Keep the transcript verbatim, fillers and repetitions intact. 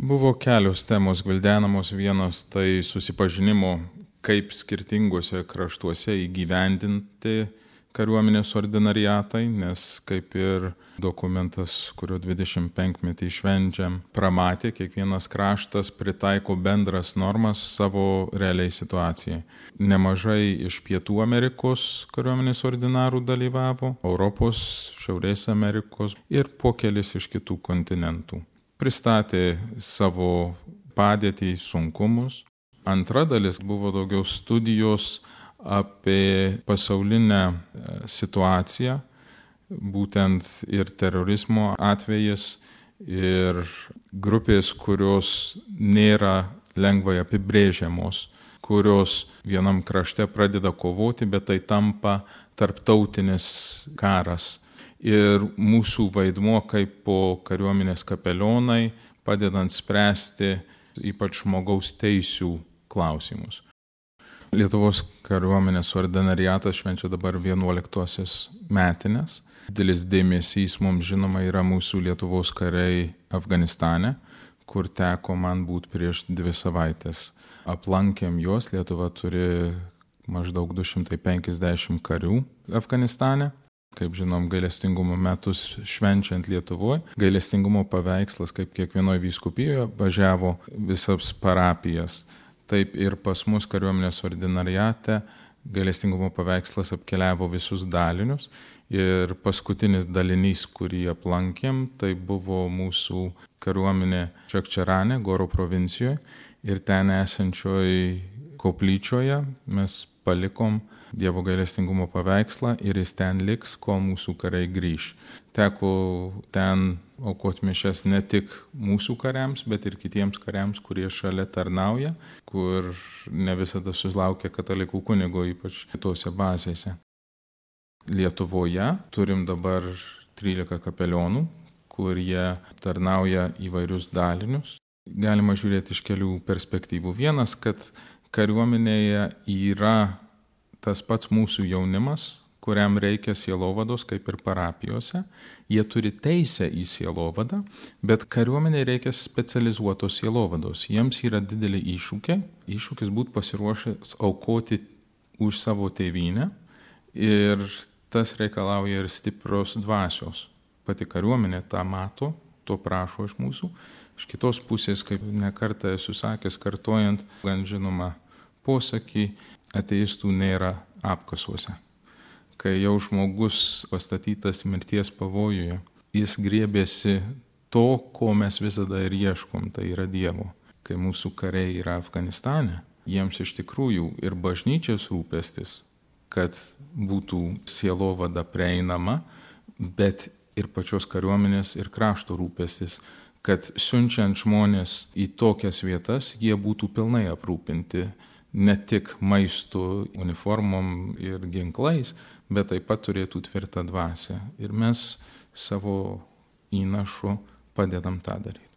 Buvo kelios temos gvildenamos, vienos tai susipažinimo, kaip skirtinguose kraštuose įgyvendinti kariuomenės ordinariatai, nes kaip ir dokumentas, kurio dvidešimtpenkmetį švenčiam, pramatė, kiekvienas kraštas pritaiko bendras normas savo realiai situacijai. Nemažai iš Pietų Amerikos kariuomenės ordinarų dalyvavo, Europos, Šiaurės Amerikos ir po kelis iš kitų kontinentų. Pristatė savo padėtį, sunkumus. Antra dalis buvo daugiau studijos apie pasaulinę situaciją, būtent ir terorizmo atvejis, ir grupės, kurios nėra lengvai apibrėžiamos, kurios vienam krašte pradeda kovoti, bet tai tampa tarptautinis karas. Ir mūsų vaidmuo kaip po kariuomenės kapelionai, padedant spręsti ypač žmogaus teisių klausimus. Lietuvos kariuomenės ordinariatas švenčia dabar vienuoliktosios metinės. Didelis dėmesys mums žinoma yra mūsų Lietuvos kariai Afganistane, kur teko man būti prieš dvi savaitės. Aplankėm juos, Lietuva turi maždaug du šimtai penkiasdešimt karių Afganistane. Kaip žinom, gailestingumo metus švenčiant Lietuvoje, gailestingumo paveikslas, kaip kiekvienoje vyskupijoje, važiavo visas parapijas. Taip ir pas mus kariuomenės ordinariate gailestingumo paveikslas apkeliavo visus dalinius. Ir paskutinis dalinys, kurį aplankėm, tai buvo mūsų kariuomenė Čakčarane, Goro provincijoje. Ir ten esančioje koplyčioje mes palikom Dievo gailestingumo paveikslą ir jis ten liks, kol mūsų kariai grįš. Teko ten aukoti mišias ne tik mūsų kariams, bet ir kitiems kariams, kurie šalia tarnauja, kur ne visada sulaukia katalikų kunigo, ypač kitose bazėse. Lietuvoje turim dabar trylika kapelionų, kurie tarnauja įvairius dalinius. Galima žiūrėti iš kelių perspektyvų. Vienas, kad kariuomenėje yra tas pats mūsų jaunimas, kuriam reikia sielovados, kaip ir parapijose. Jie turi teisę į sielovadą, bet kariuomeniai reikia specializuotos sielovados. Jiems yra didelį iššūkį, iššūkis būti pasiruošęs aukoti už savo tėvynę ir tas reikalauja ir stiprios dvasios. Pati kariuomenė tą mato, to prašo iš mūsų. Iš kitos pusės, kaip nekartą esu sakęs, kartojant gan žinomą posakį, ateistų nėra apkasuose. Kai jau žmogus pastatytas mirties pavojuje, jis griebėsi to, ko mes visada ir ieškom, tai yra Dievo. Kai mūsų kariai yra Afganistane, jiems iš tikrųjų ir bažnyčios rūpestis, kad būtų sielovada prieinama, bet ir pačios kariuomenės ir krašto rūpestis, kad siunčiant žmonės į tokias vietas, jie būtų pilnai aprūpinti ne tik maistu, uniformom ir ginklais, bet taip pat turėtų tvirtą dvasią. Ir mes savo įnašu padedam tą daryti.